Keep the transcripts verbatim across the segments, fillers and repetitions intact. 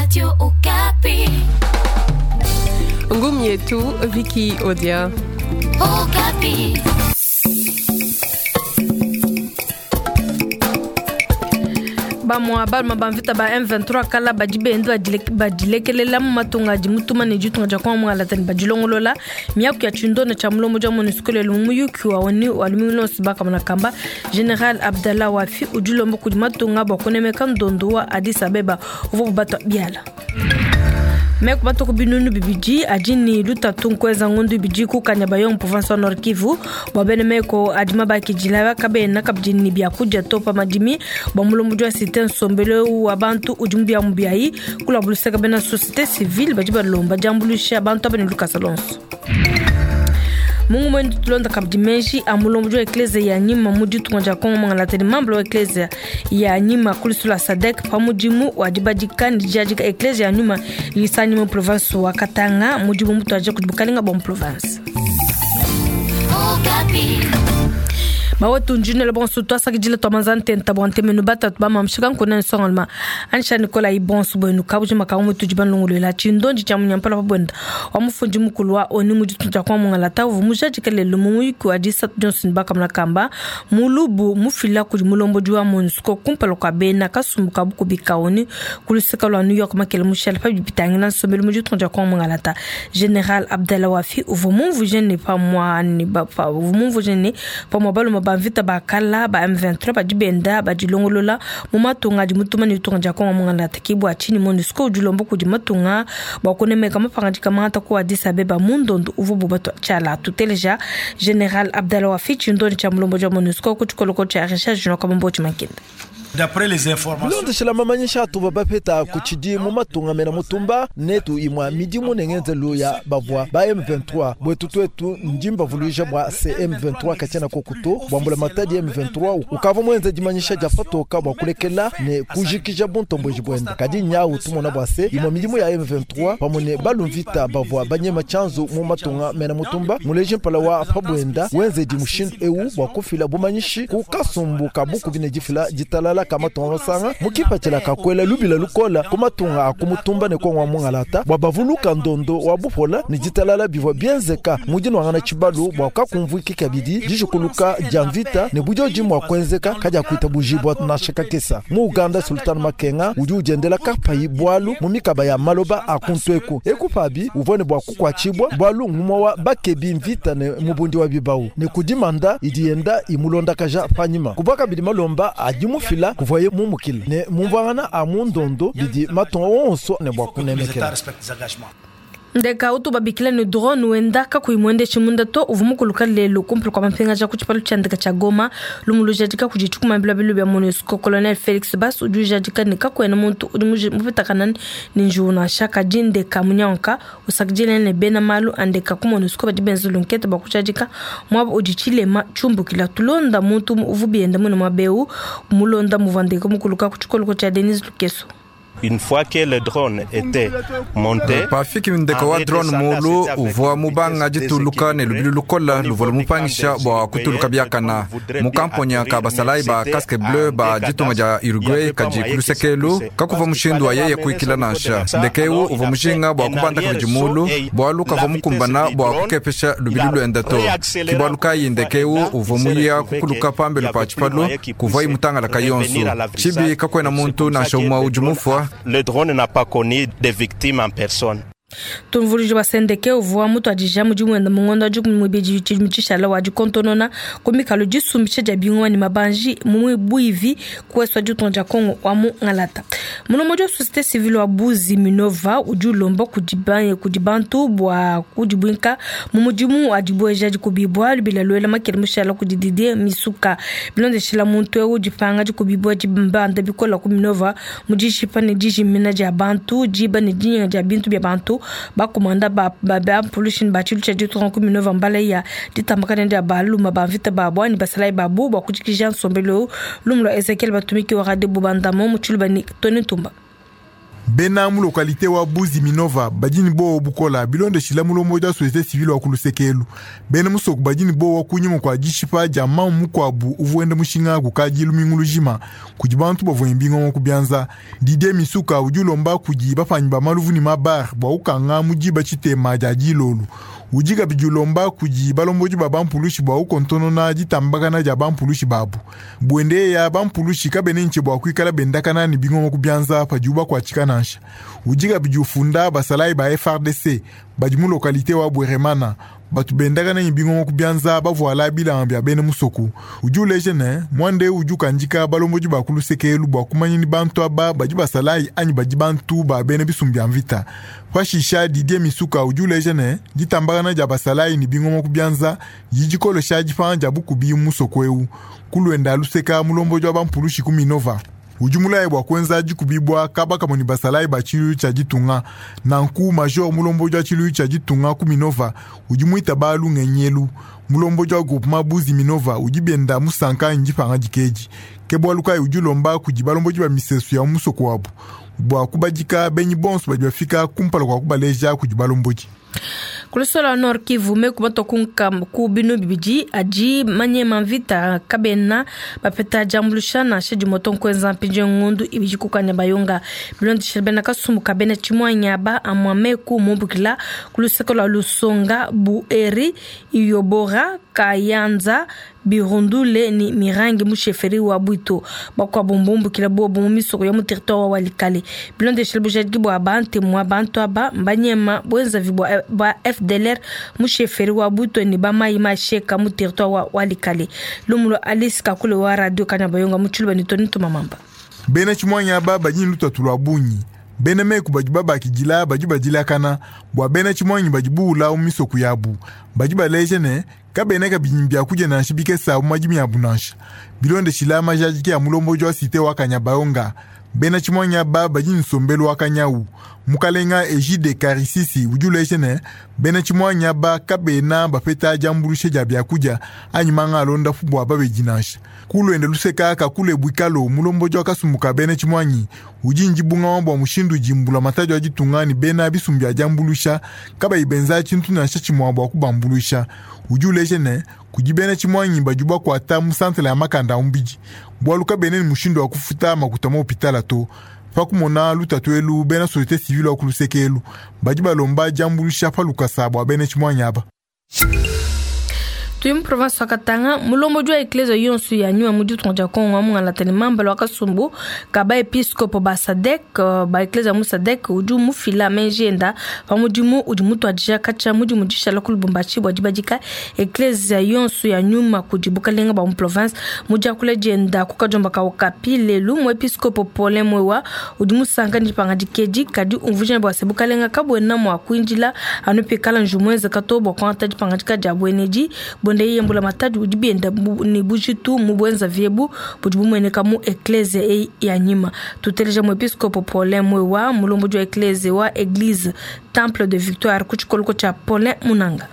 Radio Okapi. Ngumu yetu Vicky Odia. Okapi. Bamwa baluma bamvita ba M vingt-trois kala badi benda badilekelela mu matunga adi mutuma ne ditunga dia kwa mwala tani badilongolola miaku ya tshindona tshia mulomo dia MONUSCO lelo mu muyuki wa oni wa lumingu lonso bakamona kamba General Abdallah Wafi udi ulomba kudi matunga bua kunemeka ndondo wa Addis Abeba uvua bubatwa biala. Meku batuku binunu bibidi adi ni lutatu nkweza ngundu bibidi kukanya bayo mu province wa Nord Kivu bua bene meko adi mabakidila bakabena kabidi ni biakudia to pa madimi bua mulombo dia cité nsombelo wa bantu udi mu bia mu biayi kula buluseka bena société civile badi balomba diambuluisha bantu aba ne lukasa lonso. Mungu mwendu tulonda kabidi menji a mulombo dia eklezia ya nyima mu ditunga dia Kongo mwangalata ni mambo wa eklezia ya nyima kulisula SADC pa mudimu wa dibadika ni diadika eklezia ya nyuma lisani mu province wa Katanga mudimu mutu aje kudibukalinga bwa mu province. Okapi. Bawetu njinele bonso twasakidile twamanza ntenta bwa ntemenu batatu bamamshika nkuna nsongalma ansha Nicolas ibonso bwenu kabujima ka mutu jibanlungulwela tshindonji tshia munyampala pa bwenda wa mufundi mukulu wa oni mu ditunga kwa mungalata uvu mujadika lelo mu muyuki wa disatu Johnson bakamuna kamba mulubu mufila kudi mulombodi wa MONUSCO kumpala kwa bena kasumbu ka bukubi ka oni kuluseka lwa New York makele mushale pa bipitangila nsombelu mu ditunga kwa mungalata General Abdallah Wafi uvu mumvuje ne pa mwa ni ba pa uvu mumvuje ne pa mwa baluma ba mvita bakala ba M vingt-trois badi benda badilongolola mu matunga adi mutuma ne ditunga dia Kongo mungalata ki bua tshini MONUSCO udi ulomba kudi matunga bua kunemeka mapangadika mangata ku Addis Abeba mu ndondo uvua bubatwa tshiala. Tuteleja General Abdallah Wafi tshindoni tshia mulombo dia MONUSCO ku tshikoloko tshia recherche junior Kabombo Tshimankenda. D'après les informations, Bilondeshela mamanyisha atuva bapeta kuchidi mu matunga mena mutumba netu imwa midimu nengenzelu ya bavua ba M vingt-trois bwetu twetu ndimba vuluija bwa C M vingt-trois kachana kokuto bwambula matadi M vingt-trois ukava mwenze dimanyisha dia patoka bwa kulekela ne kujikija buntomboji bwenda kadi nyau tumona bwa se imwa midimu ya M vingt-trois pamwe ne balumvita bavua banyema chanzu mu matunga mena mutumba muleje mpala wa pabwenda wenze di mushindu eu bwa kufila bumanyishi ku kasumbu kabuku bine difila ditalala kama tongo sanga mukipatela kakwela lubila lukola kumatunga akumutumba ne kongwa mungalata bwa bavuluka ndondo wa bupola ni ditalala bivwa bienzeka mudi nwangana tshibalu bwa kakumvuiki kabidi dijikuluka dia mvita ne bujoji mwa kwenzeka kadia kuita bujibwa nashaka kesa mu Uganda Sultan Makenga udi udiendela kapayi bwalu mu mikaba ya maloba akuntweku ekupabi uvone bwa kukwachibwa bwalu ngumwa wa bakebi mvita ne mubundi wa bibau ne kudimanda idienda imulondakaja panyima kubaka bidi malomba adimufila kuvoye mumukile ne mumvangana a mundondo bidi matonga onso ne bwa kunemekela. Ndeka utu babikila ni drone wenda kakuimwende chimunda to uvumukuluka lelo kumpula kwa mapinga ja kuchipalu cha ndeka cha Goma lumulujadika kujichukuma bila bilu bya MONUSCO Colonel Felix Bas ujujadika ni kakwena muntu udi mupitakana ni njuna shaka jindeka munyanka usakijile ne bena malu andeka ku MONUSCO badi benzu lunkete bakuchadika mwabo ujichilema chumbukila tulonda muntu uvubienda muno mabeu mulonda muvandeka mukuluka kuchikolo cha Denis Lukeso. Une fois que le drone était monté, pafiki ndeko wa drone mulu uvua mubanga dituluka ne lubili lukola luvua lumupangisha bua kutuluka biakana mukamponya ka basalai ba casque bleu ba ditunga dia Uruguay kadi kulusekelu kakuva mushindu wa yeye kuikila nansha ndekeu uvua mushinga bua kubanda kabidi mulu bualu kavua mukumbana bua kukepesha lubili luenda to kibualu kayi ndekeu uvua muya kukuluka pambelu pa tshipalu kuvua imutangala kayonso tshibi kakuena muntu nansha umue udi mufua. Le drone n'a pas connu de victimes en personne. Tumvulije basendeke uvua mutu adija mudimu wenda mungondo adi kumwibidi tshishala wa dikontonona kumikalo disumbisha dia bingwa ni mabanji mumwe buivi kuweswa ditunga dia Kongo wa mu ngalata. Mulomo dia société civile wa Buzi Minova udi ulomba kudi kudi bantu bua kudibwinka mu mudimu adibweja dikubibwa lubila lwela makele mushala kudi Didier Misuka bilondeshela muntu eu dipanga dikubibwa dibanda bikola ku Minova mudishipa ne dijimina dia bantu diba ne dinyenga dia bintu bia bantu bakomanda ba ba ba pollution ba tshilu tsha ditunga ku Minova mbala ya ditambakana dia baluma ba mvita ba bwani basalai babu bua kujikija nsombelo lumu lwa Ezekiel batumiki wa radio bubandamo mu tshilu bani Tony Tumba. Bena mu localité wa Buzi Minova badini bo bukola bilondeshila mulombo ja société civile wa kulusekelu. Bena musoku badini bo wa kunyima kwa dishipa ja mamu mukwabu uvuenda mushinga kukaji lumingu lujima kudi bantu bavua mbingo ku byanza. Didier Misuka udi ulomba kudi bapanyi ba maluvu ni mabar bwa ukanga mujiba chitema ja jilolu. Udi kabidi ulomba kudi balomboji ba bampulushi bwa ukontonona ditambakana dia bampulushi babu. Bwende ya bampulushi kabene nche bwa kuikala bendakana ni bingongo kubyanza padibu bakuatshika nansha. Udi kabidi ufunda basalayi ba F R D C badi mu localité wa Bweremana batu bendakana ni bingongo kubyanza bavuala bilamba bya bene musoku. Udi uleje ne mwande udi ukandika balomboji ba kulusekelu bwa kumanya ni bantu aba badi basalayi anyi badi bantu ba bene bisumbu bya mvita. Pashisha Didier Misuka udi uleje ne ditambakana dia basalayi ni bingongo kubyanza yidikolosha dipanga dia bukubi musoko eu. Kulwenda luseka mulomboji wa bampulushi ku Minova. Udi mulaye bwa kwenza dikubibwa kaba kamoni basalayi ba tshilu tshia ditunga. Nanku major mulomboji wa tshilu tshia ditunga ku Minova udi muita balu ngenyelu. Mulomboji wa groupement Buzi Minova udi benda musanka ndipanga dikeji. Ke bwalu kayi udi ulomba kudi balomboji ba misesu ya musoko wabu bwa kubadika benyi bonso badi bafika kumpala kwa kubaleja kudi balomboji. Kulusola Nord Kivu meku batokunka ku binu bibidi adi manyema mvita kabena bapeta jambulushana shedi moto nkwenza mpinje ngundu ibiji kukanya bayonga bilondeshela bena kasumbu kabena chimwanya ba amwa meku mumbukila kuluseko la Lusonga Bueri Iyobora Kayanza Birundule ni Mirangi musheferi wa Bwito bakwa bombombukila bobo mu misoko ya mu territoire wa Walikale bilondeshela bujadiki bwa bante mwa bantu aba mbanyema bwenza vibwa ba F D L R musheferi wa Bwito ni ba mai masheka mu territoire wa Walikale. Lumulo Alice Kakule wa radio Kanyabayonga muchuluba ni Tony Tumamamba. Bena chimwanya ba bajini lutatu lwa bunyi. Bena meku badi babakidila badi badilakana bwa bena chimwanyi badi buula mu misoko yabu. Badi baleje ne kabena kabidi bya kudia nansha bikesa mu madimi yabu nansha. Bilondeshila majadiki ya mulomboji wa cité wa Kanyabayonga. Bena chimwanya ba badi nsombelu wa Kanyau. Mukalenga Ejide Karisisi udi uleje ne bena chimwanya ba kabena bapeta jambulushe dia bya kudia anyi manga alonda bwa babedi nansha. Kulwende luseka kakule bwikalo mulomboji wa kasumbuka bena chimwanyi udi njibunga bwa mushindu jimbula matajo ya ditunga ni bena bisumbu bya jambulusha kabayi benza tshintu nansha tshimwa bwa kubambulusha. Udi uleje ne kudi bena chimwanyi badi bakuata mu santre ya makanda umbiji bwalu kabene ni mushindu wa kufuta makuta mu hopitala to. Pakumona lutatu elu bena société civile wa kulusekelu badi balomba jambulusha pa lukasa bwa bena chimwanyi aba. Tuyi mu province wa Katanga mulomboji wa eklezia yonso ya nyuma mu ditunga dia Kongo mungalatani mambala wa kasumbu ka ba episcopo ba Sadek ba eklezia mu Sadek udi mufila menjenda pa mudimu udi mutuadija katshia mudimu dishala ku Lubumbashi bua dibadika eklezia yonso ya nyuma kudi bukalenga bwa mu province mu diakula dienda ku kadiomba ka Okapi lelu mu episcopo Paulin Mwewa udi musanka dipanga dikedi kadi umvuija bua se bukalenga kabuena mua kuindila anu pikala njumuenze kato bua kuangata dipangadika dia buenedi. Bonde yembula matadi udi bienda ni bujitu mu bwenza vyebu budi bumueneka mu eklezia e ya nyima. Tuteleja mu episcopo Paulin Mwewa mulomboji wa eklezia wa Eglise Temple de Victoire ku tshikoloko tshia Paulin Munanga.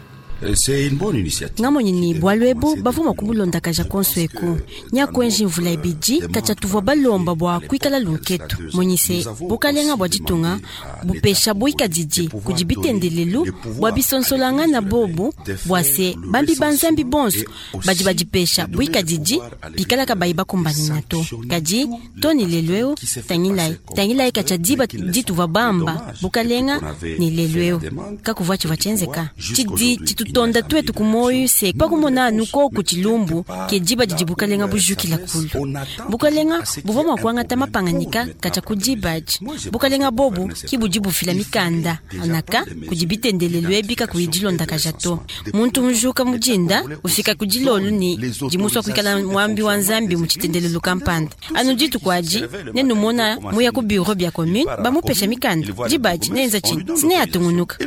Ngamonyi ni bwalu ebu bavuma kumulondakaja konso eku nyakwenji mvula ibidi katshia tuvua balomba bua kuikala lunketu monyise bukalenga bua ditunga bupesha buikadidi kudi bitendelelu bua bisonsolanga na bobu bua se bambi banzambi bonso badi badipesha buikadidi pikalaka bayi bakumbanina to kadi toni lelu eu tangilai tangilai katshia diba dituvua bamba bukalenga ni lelu eu kakuvua tshivua tshienzeka tshidi tshitu tonda twetu kumoyo se pakumona anu koku tshilumbu ke diba didi bukalenga bujukila kulu bukalenga buvua mua kuangata mapanganika katshia ku dibaji bukalenga bobu ki budi bufila mikanda anaka kudi bitendelelu ebi kakuyi dilondakaja to muntu mujuka mudinda ufika ku dilolu ni dimusua kuikala mwambi wa nzambi mu tshitendelelu kampanda anu dituku adi nenumona muya ku bureau bia commune bamupesha mikanda dibaji nenza tshini sine atungunuka.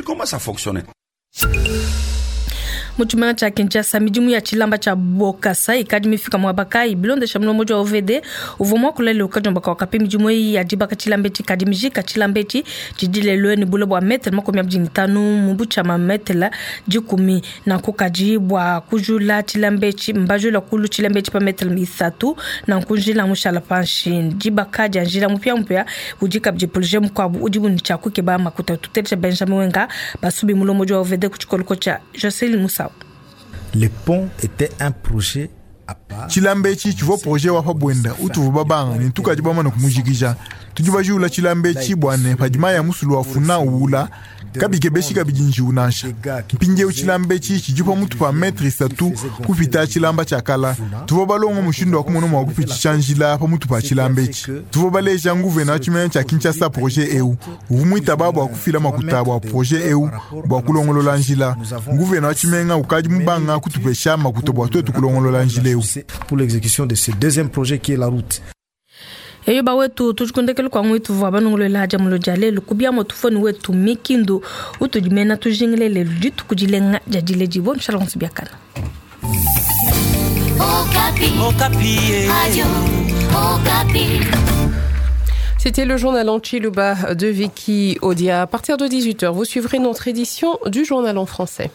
Mu tshimenga tshia Kinshasa, midimu ya tshilamba tshia Bokasa ikadi mifika muaba kayi? Bilondesha mulombodi wa O V D uvua muakula lelu kadiomba kape, midimu eyi ya dibaka tshilamba etshi kadi mijika. Tshilamba etshi tshidi lelu ne bule bua metele makumi abidi ne tanu mu butshama metele dikumi. Nanku kadi bua kujula tshilamba etshi, mbajula kulu tshilamba etshi pa metele isatu, nanku njila mushala panshi. Dibaka dia njila mupiamupia udi kabidi projet mukuabu udi ne tshia kukeba makuta. Tuteleja Benjamin Wenga Basubi, mulombodi wa O V D, ku tshikoloko tshia Jocelyn Musau. Le pont était un projet. Tshilamba etshi tshivua projet wa pa buenda utuvua babanga ne tukadi bamane kumujikija. Tudi bajula tshilamba etshi bua ne padi mayi ya musulu wa Funa uwula, kabikebeshi kabidi njiwu nansha. Mpindieu tshilamba etshi tshidi pa mutu pa metre isatu kupita tshilamba tshia kala. Tuvua balonga mushindu wa kumona mua kupitshisha njila pa mutu pa tshilamba etshi. Tuvua baleja nguvena wa tshimenga tshia Kinshasa projet eu, uvua muitaba bua kufila makuta bua projet eu bua kulongolola njila. Nguvena wa tshimenga ukadi mubanga kutupesha makuta bua tuetu kulongolola njila eu. Pour l'exécution de ce deuxième projet qui est la route. Eyo bawetu, tujikundekele kwa ngwitu vua banongolola dia mulo dia lelu kubia motufoni wetu mikindu utudimena. Tujingile lelu dituku dilenga dia diledi bo mshala onso biakana. Okapi. Okapi. Radio Okapi. C'était le journal en tshiluba de Vicky Odia. À partir de dix-huit heures, vous suivrez notre édition du journal en français.